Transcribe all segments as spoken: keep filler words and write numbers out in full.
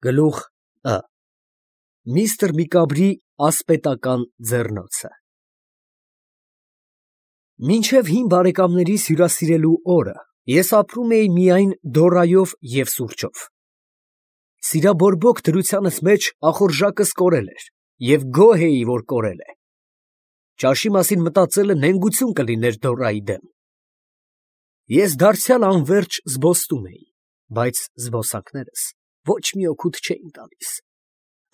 Գլուխ Ը Միստր Միկաբրի ասպետական ձեռնոցը Մինչև հին բարեկամներիս հյուրասիրելու օրը ես ապրում էի միայն Դորայով և սուրճով։ Սիրաբորբոք դրությանս մեջ ախորժակս կորել էր և գոհ էի, որ կորել է։ Ճաշի մասին մտածելը նենգություն կլիներ Դորայի դեմ։ Ես դարձյալ անվերջ զբոսնում էի, բայց զբոսանքներս ոչ մի օգուտ չէին տալիս,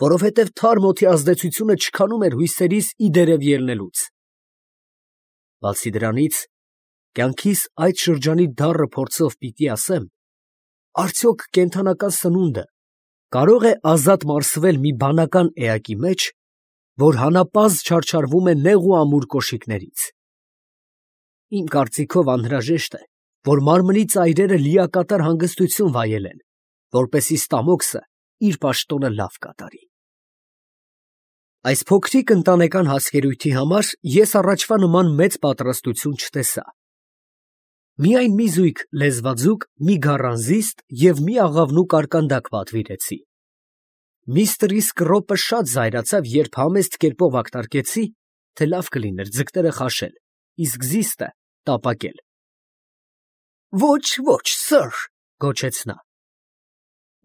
որովհետև թարմ օդի ազդեցությունը չքանում էր հույսերիս ի դերև ելնելուց։ Բացի դրանից, կյանքիս այդ շրջանի դառը փորձով պիտի ասեմ, արդյոք կենդանական սնունդը կարող է ազատ մարսվել մի բանական էակի մեջ, որ հանապազդ չարչարվում է նեղ ու ամուր կոշիկներից։ Իմ կարծիքով անհրաժեշտ է, որ մարմնի ծայրերը լիակատար հանգստություն վայելեն, որպեսզի ստամոքսը իր պաշտոնը լավ կատարի։ Այս փոքրիկ ընտանեկան հասկերույթի համար ես առաջվա նման մեծ պատրաստություն չտեսա։ Միայն մի զույգ լեզվաձուկ, մի գառանզիստ և մի աղավնու կարկանդակ պատվիրեցի։ Միստր Իսկրոպը շատ զայրացավ, երբ համեստ կերպով ակնարկեցի, թե լավ կլիներ ձկները խաշել, իսկ զիստը տապակել։ «Ոչ, ոչ, սըր, ֊ գոչեց նա, ֊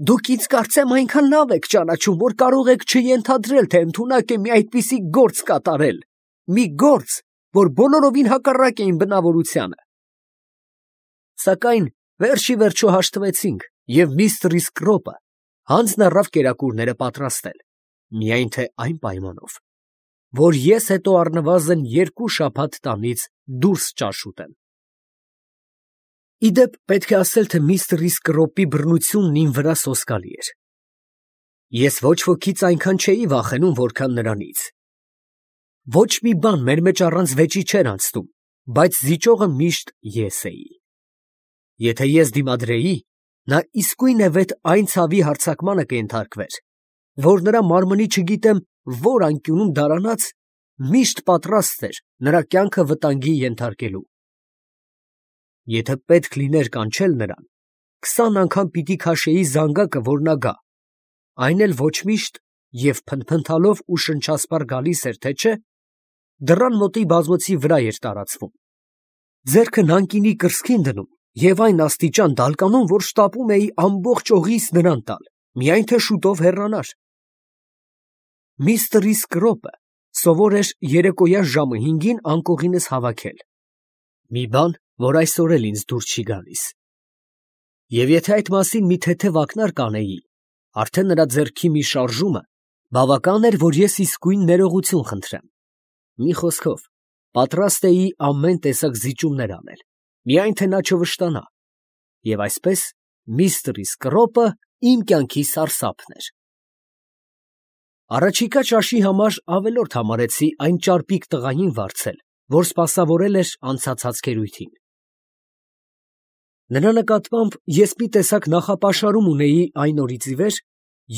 դուք ինձ կարծեմ այնքան լավ եք ճանաչում, որ կարող եք չենթադրել, թե ընդունակ է մի այդպիսի գործ կատարել, մի գործ, որ բոլորովին հակառակ է իմ բնավորությանը»։ Սակայն վերջ ի վերջո հաշտվեցինք, և միստր Իսկրոպը հանձն առավ կերակուրները պատրաստել, միայն թե այն պայմանով, որ ես հետո առնվազն երկու շաբաթ տանից դուրս ճաշ ուտեմ։ Ի դեպ, պետք է ասել, թե միստր Իսկրոպի բռնությունն իմ վրա սոսկալի էր։ Ես ոչ ոքից այնքան չէի վախենում, որքան նրանից։ Ոչ մի բան մեր մեջ առանց վեճի չէր անցնում, բայց զիջողը միշտ ես էի։ Եթե ես դիմադրեի, նա իսկույնևեթ այն ցավի հարձակմանը կենթարկվեր, որ նրա մարմնի չգիտեմ որ անկյունում դարանած միշտ պատրաստ էր նրա կյանքը վտանգի ենթարկելու։ Եթե պետք լիներ կանչել նրան, քսան անգամ պիտի քաշեի զանգակը, որ նա գա, այն էլ ոչ միշտ և փնթփնթալով ու շնչասպառ գալիս էր, թե չէ, դռան մոտի բազմոցի վրա էր տարածվում, ձեռքը նանկինի կրծքին դնում և այն աստիճան դալկանում, որ շտապում էի ամբողջ օղիս նրան տալ, միայն թե շուտով հեռանար։ Միստր Իսկրոպը սովոր էր երեկոյան ժամը հինգին անկողինս հավաքել, մի բան, որ այսօր էլ ինձ դուր չի գալիս։ Եվ եթե այդ մասին մի թեթև ակնարկ անեի, արդեն նրա ձեռքի մի շարժումը բավական էր, որ ես իսկույն ներողություն խնդրեմ։ Մի խոսքով, պատրաստ էի ամեն տեսակ զիջումներ անել, միայն թե նա չվշտանա, և այսպես միստր Իսկրոպը իմ կյանքի սարսափն էր։ Առաջիկա ճաշի համար ավելորդ համարեցի այն ճարպիկ տղային վարձել, որ սպասավորել էր անցած հացքերույթին։ Նրա նկատմամբ ես մի տեսակ նախապաշարում ունեի այն օրից ի վեր,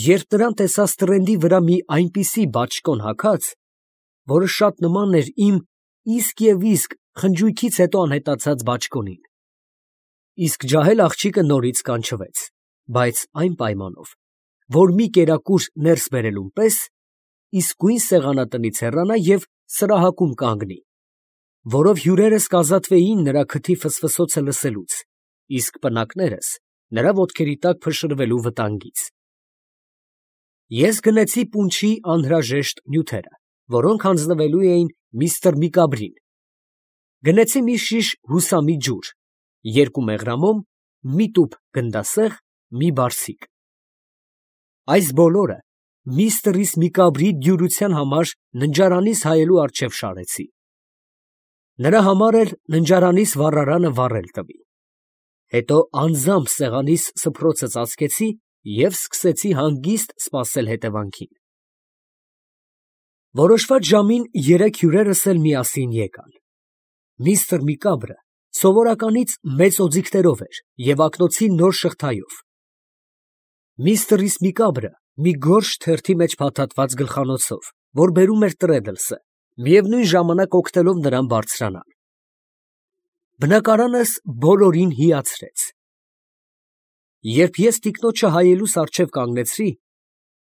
երբ նրան տեսա ստրենդի վրա մի այնպիսի բաճկոն հագած, որը շատ նման էր իմ իսկ և իսկ խնջույքից հետո անհետացած բաճկոնին։ Իսկ ջահել աղջիկը նորից կանչվեց, բայց այն պայմանով, որ մի կերակուր ներս բերելուն պես իսկույն սեղանատնից հեռանա և սրահակում կանգնի, որով հյուրերս կազատվեին նրա քթի ֆսֆսոցը լսելուց, իսկ պնակներս նրա ոտքերի տակ փշրվելու վտանգից։ Ես գնեցի պունչի անհրաժեշտ նյութերը, որոնք հանձնվելու էին միստր Միկաբրին, գնեցի մի շիշ հուսամի ջուր, երկու մեղրամոմ, մի տուփ գնդասեղ, մի բարձիկ։ Այս բոլորը միստր Միկաբրի դյուրության համար ննջարանիս հայելու առջև շարեցի։ Նրա համար էլ ննջարանիս վառարանը վառել տվի։ Հետո անձամբ սեղանիս սփռոցը ծածկեցի և սկսեցի հանգիստ սպասել հետևանքին։ Որոշված ժամին երեք հյուրերս էլ միասին եկան։ Միստր Միկաբրը սովորականից մեծ օձիքներով էր և ակնոցի նոր շղթայով։ Միստր Միկաբրը մի գորշ թերթի մեջ փաթաթված գլխանոցով, որ բերում էր Տրեդլսը, միևնույն ժամանակ օգնելով նրան բարձրանալ։ Բնակարանս բոլորին հիացրեց։ Երբ ես տիկնոջը հայելուս առջև կանգնեցրի,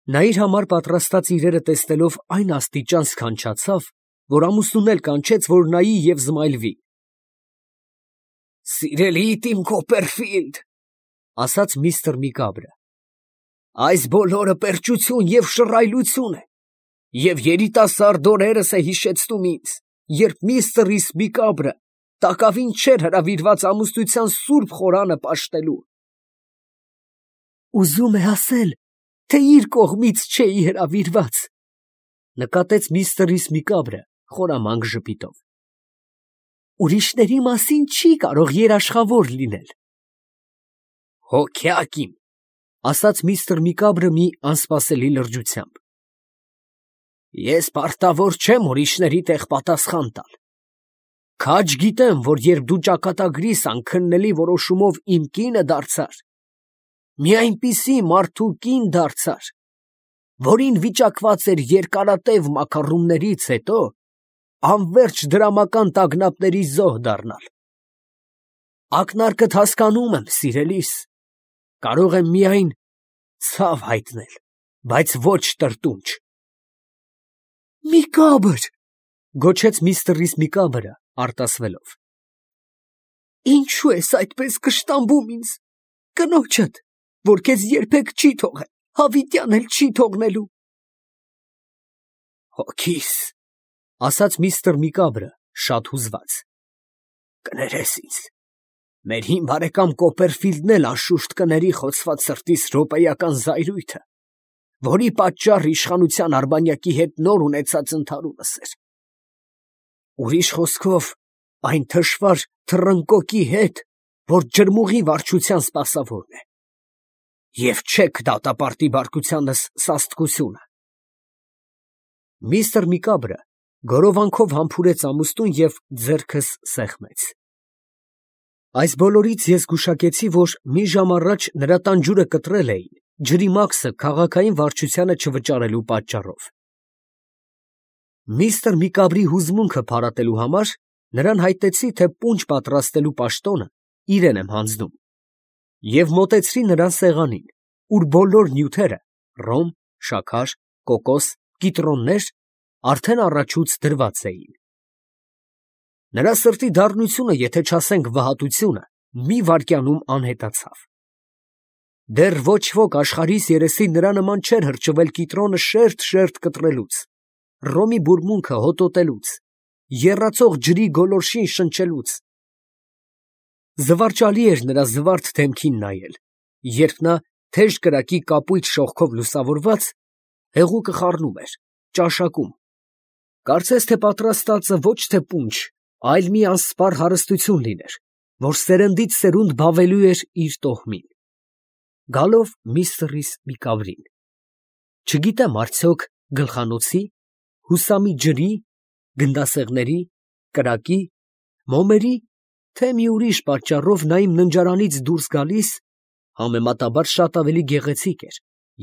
Նա իր համար պատրաստած իրերը տեսնելով այն աստիճան սքանչացավ, որ ամուսնուն էլ կանչեց, որ նայի և զմայլվի։ «Սիրելիդ իմ Քոպերֆիլդ, ֊ ասաց միստր Միկաբրը, ֊ այս բոլորը պերճություն և շռայլություն է, և երիտասարդ օրերս է հիշեցնում ինձ, երբ միստր Միկաբրը տակավին չէր հրավիրված ամուսնության սուրբ խորանը պաշտելու»։ «Ուզում է ասել, թե իր կողմից չէի հրավիրված, ֊ նկատեց միստր Միկաբրը խորամանկ ժպիտով։ ֊ Ուրիշների մասին չի կարող երաշխավոր լինել։ «Հոգյակ իմ, ֊ ասաց միստր Միկաբրը մի անսպասելի լրջությամբ, ֊ ես պարտավոր չեմ ուրիշների տեղ պատասխան տալ։ Քաջ գիտեմ, որ երբ դու ճակատագրիս անքննելի որոշումով իմ կինը դարձար, մի այնպիսի մարդու կին դարձար, որին վիճակված էր երկարատև մաքառումներից հետո անվերջ դրամական տագնապների զոհ դառնալ։ Ակնարկդ հասկանում եմ, սիրելիս, կարող եմ միայն ցավ հայտնել, բայց ոչ տրտունջ»։ «Միկաբր, ֊ գոչեց միստր Միկաբրը արտասվելով, ֊ ինչո՞ւ ես այդպես կշտամբում ինձ, կնոջդ, որ քեզ երբեք չի թողել, հավիտյան էլ չի թողնելու»։ «Հոգիս, ֊ ասաց միստր Միկաբրը շատ հուզված, ֊ կներես ինձ, մեր հին բարեկամ Կոպերֆիլդն էլ անշուշտ կների խոցված սրտիս րոպեական զայրույթը, որի պատճառը իշխանության արբանյակի հետ նոր ունեցած ընդհարումս էր։ Ուրիշ խոսքով, այն թշվառ թռնկոկի հետ, որ ջրմուղի վարչության սպասավորն է, և չեք դատապարտի բարկությանս սաստկությունը»։ Միստր Միկաբրը գորովանքով համբուրեց ամուսնուն և ձեռքս սեղմեց։ Այս բոլորից ես գուշակեցի, որ մի ժամ առաջ նրա տան ջուրը կտրել էին ջրի մաքսը քաղաքային վարչությանը չվճարելու պատճառով։ Միստր Միկաբրի հուզմունքը փարատելու համար նրան հայտնեցի, թե պունջ պատրաստելու պաշտոնը իրեն եմ հանձնում, և մոտեցրի նրան սեղանին, ուր բոլոր նյութերը՝ ռոմ, շաքար, կոկոս, կիտրոններ, արդեն առաջուց դրված էին։ Նրա սրտի դառնությունը, եթե չասենք վհատությունը, մի վայրկյանում անհետացավ։ Դեռ ոչ ոք աշխարհիս երեսին նրա նման չէր հրճվել կիտրոնը շերտ֊շերտ կտրելուց, ռոմի բուրմունքը հոտոտելուց, եռացող ջրի գոլորշին շնչելուց։ Զվարճալի էր նրա զվարթ դեմքին նայել, երբ նա թեժ կրակի կապույտ շողքով լուսավորված հեղուկը խառնում էր, ճաշակում, կարծես թե պատրաստածը ոչ թե պունջ, այլ մի անսպառ հարստություն լիներ, որ սերնդից սերունդ բավելու էր իր տոհմին։ Գալով միստր Միկաբրին, չգիտեմ արդյոք գլխանոցի, հուսամի ջրի, գնդասեղների, կրակի, մոմերի, թե մի ուրիշ պատճառով նա իմ ննջարանից դուրս գալիս համեմատաբար շատ ավելի գեղեցիկ էր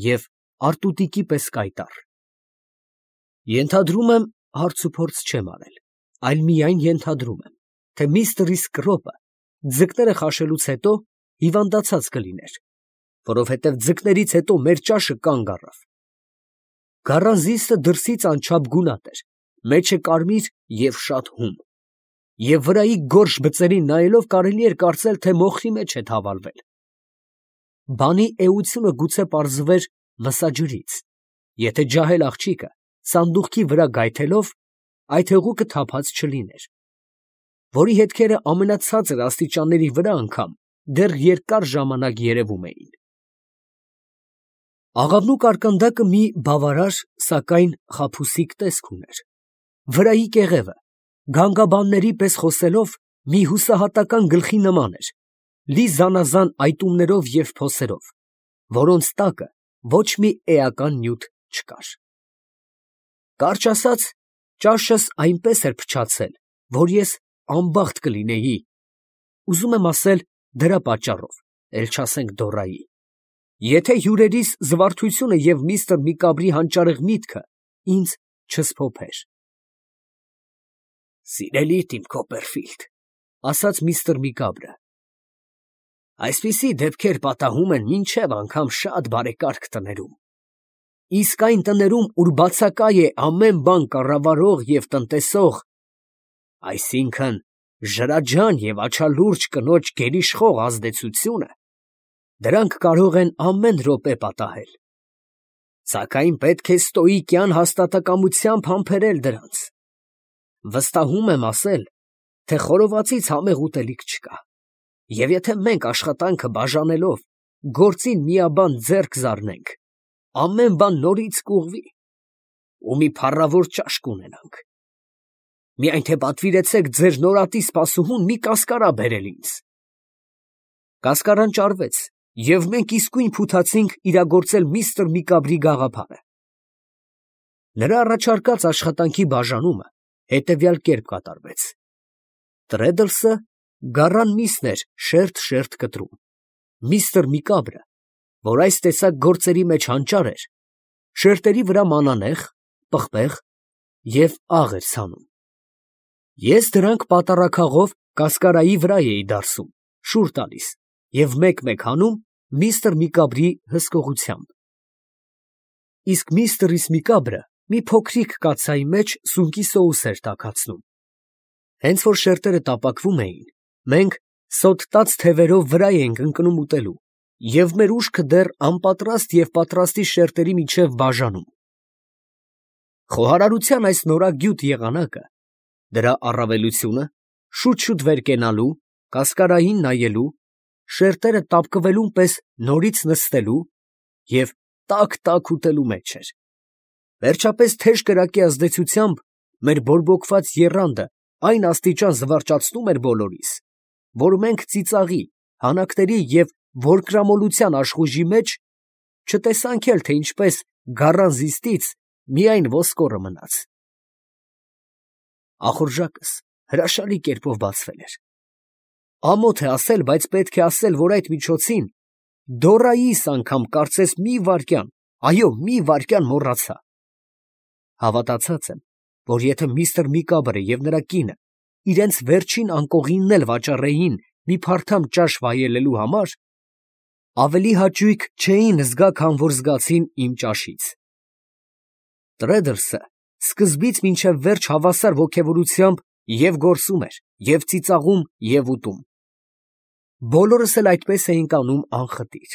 և արտուտիկի պես կայտառ։ Ենթադրում եմ, հարցուփորձ չեմ արել, այլ միայն ենթադրում եմ, թե միստր Կրոպը ձկները խաշելուց հետո հիվանդացած կլիներ, որովհետև ձկներից հետո մեր ճաշը կանգ առավ։ Գառանզիստը դրսից անչափ գունատ էր, մեջը կարմիր և շատ հում, և վրայի գորշ բծերին նայելով կարելի էր կարծել, թե մոխրի մեջ է թավալվել։ Բանի էությունը գուցե պարզվեր մսաջրից, եթե ջահել աղջիկը սանդուղքի վրա գայթելով այդ հեղուկը թափած չլիներ, որի հետքերը ամենացածր աստիճանների վրա անգամ դեռ երկար ժամանակ երևում էին։ Աղավնու կարկանդակը մի բավարար, սակայն խաբուսիկ տեսք ուներ, վրայի կեղևը, գանգաբանների պես խոսելով, մի հուսահատական գլխի նման էր, լի զանազան այտումներով և փոսերով, որոնց տակը ոչ մի էական նյութ չկար։ Կարճ ասած, ճաշս այնպես էր փչացել, որ ես անբախտ կլինեի, ուզում եմ ասել դրա պատճառով, էլ չասենք դոռայի, եթե հյուրերիս զվարթությունը և միստր Միկաբրի հանճարեղ միտքը ինձ չսփոփեր։ «Սիրելիդ իմ Քոպերֆիլդ, ֊ ասաց միստր Միկաբրը, ֊ այսպիսի դեպքեր պատահում են մինչև անգամ շատ բարեկարգ տներում։ Իսկ այն տներում, ուր բացակա է ամեն բան կառավարող և տնտեսող, այսինքն ժրաջան և աչալուրջ կնոջ գերիշխող ազդեցությունը, դրանք կարող են ամեն րոպե պատահել, սակայն պետք է ստոիկյան հաստատակամությամբ համբերել դրանց. վստահում եմ ասել, թե խորովածից համեղ ուտելիք չկա, և եթե մենք աշխատանքը բաժանելով, գործին միաբան ձեռք զարնենք, ամեն բան նորից կուղղվի, ու մի փառավոր ճաշ կունենանք. միայն թե պատվիրեցեք ձեր նորատի սպասուհուն մի կասկարա բերել ինձ։ Կասկարան ճարվեց, և մենք իսկույն փութացինք իրագործել միստր Միկաբրի գաղափարը։ Նրա առաջարկած աշխատանքի բաժանումը հետևյալ կերպ կատարվեց. Տրեդլսը գառան միսն էր շերտ֊շերտ կտրում, միստր Միկաբրը, որ այս տեսակ գործերի մեջ հանճար էր, շերտերի վրա մանանեխ, պղպեղ և աղ էր ցանում։ Ես դրանք պատառաքաղով կասկարայի վրա էի դարսում, շուռ տալիս և մեկ֊մեկ հանում միստր Միկաբրի հսկողությամբ։ Իսկ միստր Միկաբրը մի փոքրիկ կաթսայի մեջ սունկի սոուս էր տաքացնում։ Հենց որ շերտերը տապակվում էին, մենք սոթտած թևերով վրա էինք ընկնում ուտելու և մեր ուշքը դեռ անպատրաստ և պատրաստի շերտերի միջև բաժանում։ Խոհարարության այս նորագյուտ եղանակը, դրա առավելությունը, շուտ֊շուտ վեր կենալու, կասկարային նայելու, շերտերը տապկվելուն պես նորից նստելու և տաք֊տաք ուտելու մեջ էր։ Վերջապես թեժ կրակի ազդեցությամբ մեր բորբոքված եռանդը այն աստիճան զվարճացնում էր բոլորիս, որ մենք ծիծաղի, հանակների և որկրամոլության աշխուժի մեջ չտեսանք էլ, թե ինչպես գառան զիստից միայն ոսկորը մնաց։ Ախորժակս հրաշալի կերպով բացվել էր։ Ամոթ է ասել, բայց պետք է ասել, որ այդ միջոցին դոռայիս անգամ կարծես մի վայրկյան, այո, մի վայրկյան մոռացա։ Հավատացած եմ, որ եթե միստր Միկաբրը և նրա կինը իրենց վերջին անկողինն էլ վաճառեին մի փարթամ ճաշ վայելելու համար, ավելի հաճույք չէին զգա, քան որ զգացին իմ ճաշից։ Տրեդլսը սկզբից մինչև վերջ հավասար ոգևորությամբ և գործում էր, և ծիծաղում, և ուտում։ Բոլորս էլ այդպես էինք անում անխտիր։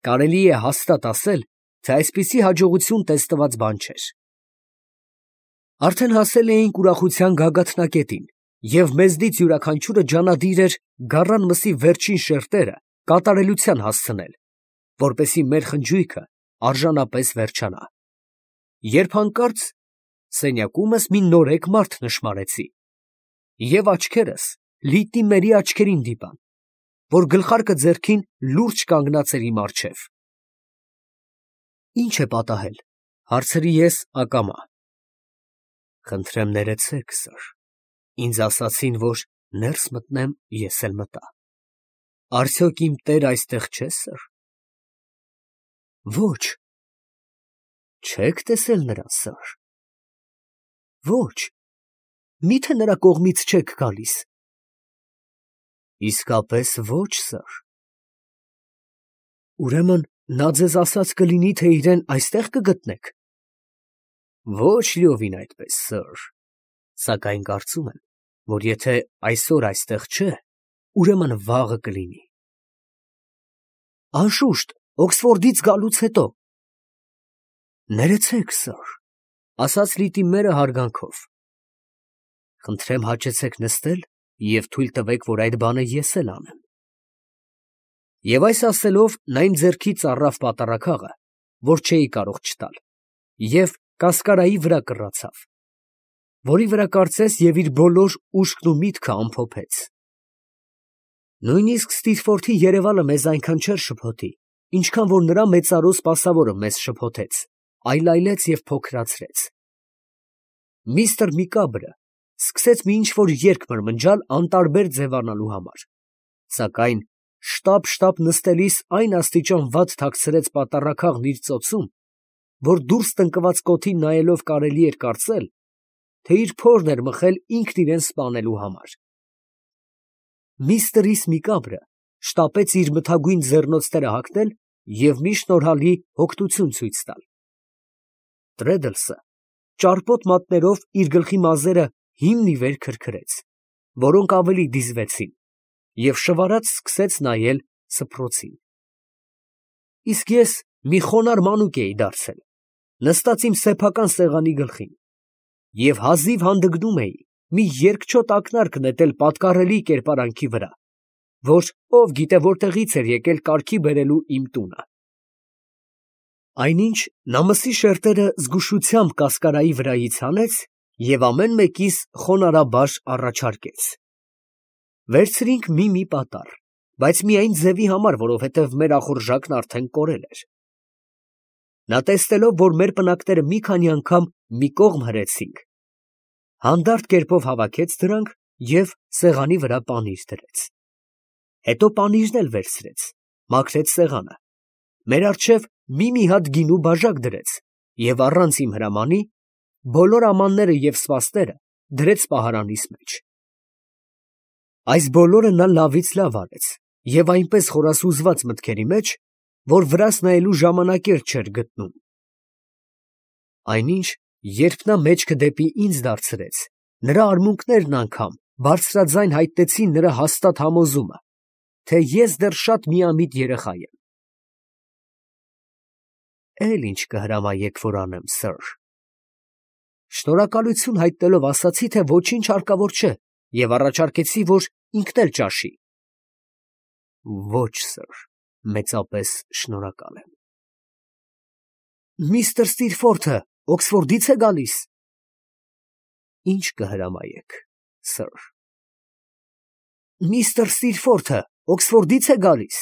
Կարելի է հաստատ ասել, թե այսպիսի հաջողություն տեստված բան չէր։ Արդեն հասել էինք ուրախության գագաթնակետին, և մեզնից յուրաքանչյուրը ջանադիր էր գառան մսի վերջին շերտերը կատարելության հասցնել, որպեսզի մեր խնջույքը արժանապես վերջանա, երբ հանկարծ սենյակումս մի նորեկ մարդ նշմարեցի, և աչքերս լիտի մերի աչքերին դիպան, որ գլխարկը ձեռքին լուրջ կանգնած էր իմ առջև։ ֊ Ի՞նչ է պատահել, ֊ հարցրի ես ակամա։ ֊ Խնդրեմ ներեցեք, սըր, ինձ ասացին, որ ներս մտնեմ, ես էլ մտա։ Արդյոք իմ տերը այստեղ չէ, սըր։ ֊ Ոչ։ ֊ Չե՞ք տեսել նրան, սըր։ ֊ Ոչ։ Մի՞թե նրա կողմից չեք գալիս։ ֊ Իսկապես ոչ, սըր։ ֊ Ուրեմն նա ձեզ ասած կլինի, թե իրան այստեղ կգտնեք։ ֊ Ոչ լիովին այդպես, սըր, սակայն կարծում եմ, որ եթե այսօր այստեղ չէ, ուրեմն վաղը կլինի։ ֊ Անշուշտ, Օքսֆորդից գալուց հետո։ ֊ Ներեցեք, սըր, ֊ ասաց լիտի մերը հարգանքով։ ֊ Խնդրեմ հաճեցեք նստել և թույլ տվեք, որ այդ բանը ես էլ անեմ։ Եվ այս ասելով, նա իմ ձեռքից առավ պատառաքաղը, որ չէի կարող չտալ, և կասկարայի վրա կռացավ, որի վրա կարծես և իր բոլոր ուշքն ու միտքը ամփոփեց։ Նույնիսկ Սթիթֆորդի երևալը մեզ այնքան չէր շփոթի, ինչքան որ նրա մեծարու սպասավորը մեզ շփոթեց, այլայլեց և փոքրացրեց։ Միստր Միկաբրը սկսեց մի ինչ֊որ երգ մրմնջալ անտարբեր ձևանալու համար, սակայն շտապ֊շտապ նստելիս այն աստիճան վատ թաքցրեց պատառաքաղն իր ծոցում, որ դուրս տնկված կոթին նայելով կարելի էր կարծել, թե իր փորն էր մխել ինքն իրան սպանելու համար։ Միստր Միկաբրը շտապեց իր մթագույն ձեռնոցները հագնել և մի շնորհալի հոգտություն ցույց տալ, Տրեդլսը ճարպոտ մատներով իր գլխի մազերը հիմն ի վեր քրքրեց, որոնք ավելի դիզվեցին, և շվարած սկսեց նայել սփռոցին։ Իսկ ես մի խոնարհ մանուկ էի դարձել, նստած իմ սեփական սեղանի գլխին, և հազիվ հանդգնում էի մի երկչոտ ակնարկ նետել պատկառելի կերպարանքի վրա, որ ով գիտե որտեղից էր եկել կարգի բերելու իմ տունը։ Այնինչ նա մսի շերտերը զգուշությամբ կասկարայի վրայից հանեց և ամեն մեկիս խոնարհաբար առաջարկեց. «Վերցրինք մի֊մի պատառ, բայց միայն ձևի համար, որովհետև մեր ախորժակն արդեն կորել էր»։ Նա տեսնելով, որ մեր պնակները մի քանի անգամ մի կողմ հրեցինք, հանդարտ կերպով հավաքեց դրանք և սեղանի վրա պանիր դրեց։ Հետո պանիրն էլ վերցրեց, մաքրեց սեղանը, մեր առջև մի֊մի հատ գինու բաժակ դրեց և առանց իմ հրամանի բոլոր ամանները և սպասները դրեց պահարանիս մեջ։ Այս բոլորը նա լավից լավ արեց և այնպես խորասուզված մտքերի մեջ, որ վրաս նայելու ժամանակ էլ չէր գտնում։ Այնինչ, երբ նա մեջքը դեպի ինձ դարձրեց, նրա արմունկներն անգամ բարձրաձայն հայտնեցին նրա հաստատ համոզումը, թե ես դեռ շատ միամիտ երեխա եմ։ «Էլ ինչ կհրամայեք, որ անեմ, սըր»։ Շնորհակալություն հայտնելով ասացի, թե ոչինչ հարկավոր չէ և առաջարկեցի, որ ինքն էլ ճաշի։ «Ոչ, սըր, մեծապես շնորհակալ եմ»։ «Միսթր Սթիրֆորթը Օքսֆորդի՞ց է գալիս»։ «Ինչ կհրամայեք, սըր»։ «Միսթր Սթիրֆորթը Օքսֆորդի՞ց է գալիս»։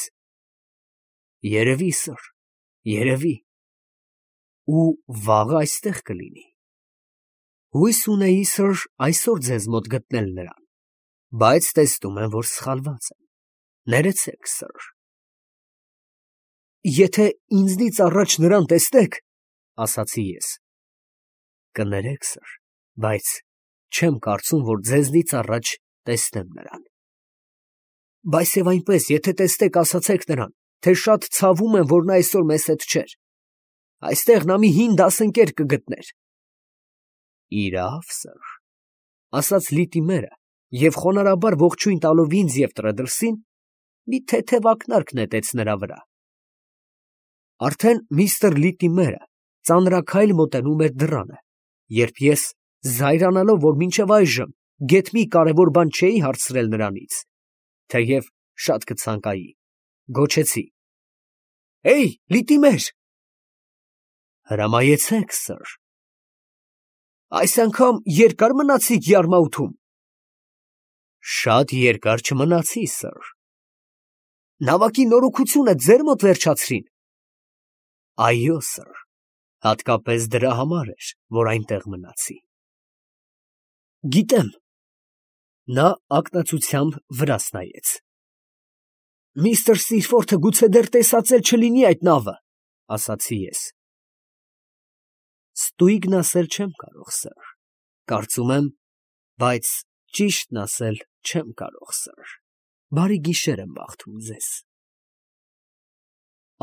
«Երևի, սըր, երևի»։ «Ու վաղը այստեղ կլինի»։ «Հույս ունեի, սըր, այսօր ձեզ մոտ գտնել նրան, բայց տեսնում եմ, որ սխալված եմ, ներեցեք, սըր»։ «Եթե ինձնից առաջ նրան տեսնեք, ֊ ասացի ես, ֊ կներեք, սըր, բայց չեմ կարծում, որ ձեզնից առաջ տեսնեմ նրան»։ «Բայց և այնպես, եթե տեսնեք, ասացեք նրան, թե շատ ցավում եմ, որ նա այսօր մեզ հետ չէր. այստեղ նա մի հին դասընկեր կգտներ»։ «Իրավ, սըր», ֊ ասաց Լիտիմերը և խոնարհաբար ողջույն տալով ինձ և Տրեդլսին, մի թեթև ակնարկ նետեց նրա վրա։ Արդեն միստր Լիտիմերը ծանրաքայլ մոտենում էր դռանը, երբ ես, զայրանալով, որ մինչև այժմ գեթ մի կարևոր բան չէի հարցրել նրանից, թեև շատ կցանկայի, գոչեցի. «Հեյ, Լիտիմեր»։ «Հրամայեցեք, սըր»։ «Այս անգամ երկա՞ր մնացիք Յարմաութում»։ «Շատ երկար չմնացի, սըր»։ «Նավակի նորոգությունը ձեր մոտ վերջացրին»։ «Այո, սըր, հատկապես դրա համար էր, որ այնտեղ մնացի»։ «Գիտեմ»։ Նա ակնածությամբ վրաս նայեց։ «Միստր Սթիրֆորթը գուցե դեռ տեսած էլ չլինի այդ նավը», ֊ ասացի ես։ «Ստույգն ասել չեմ կարող, սըր, կարծում եմ, բայց ճիշտն ասել չեմ կարող, սըր, բարի գիշեր եմ մաղթում ձեզ»։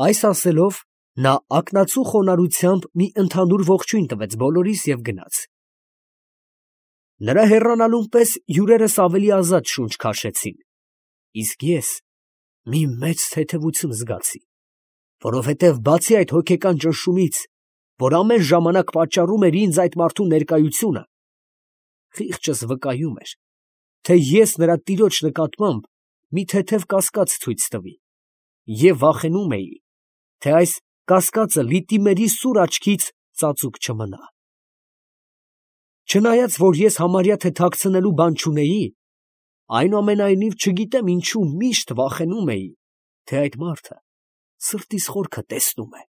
Այս ասելով, նա ակնածու խոնարհությամբ մի ընդհանուր ողջույն տվեց բոլորիս և գնաց։ Նրա հեռանալուն պես հյուրերս ավելի ազատ շունչ քաշեցին, իսկ ես մի մեծ թեթևություն զգացի, որովհետև բացի այդ հոգեկան ճնշումից, որ ամեն ժամանակ պատճառում էր ինձ այդ մարդու ներկայությունը, խիղճս վկայում էր, թե ես նրա տիրոջ նկատմամբ մի թեթև կասկած ցույց տվի, և վախենում էի, թե այս կասկածը Լիտիմերի սուր աչքից ծածուկ չմնա։ Չնայած, որ ես համարյա թե թաքցնելու բան չունեի, այնուամենայնիվ չգիտեմ ինչու միշտ վախենում էի, թե այդ մարդը սրտիս խորքը տեսնում է։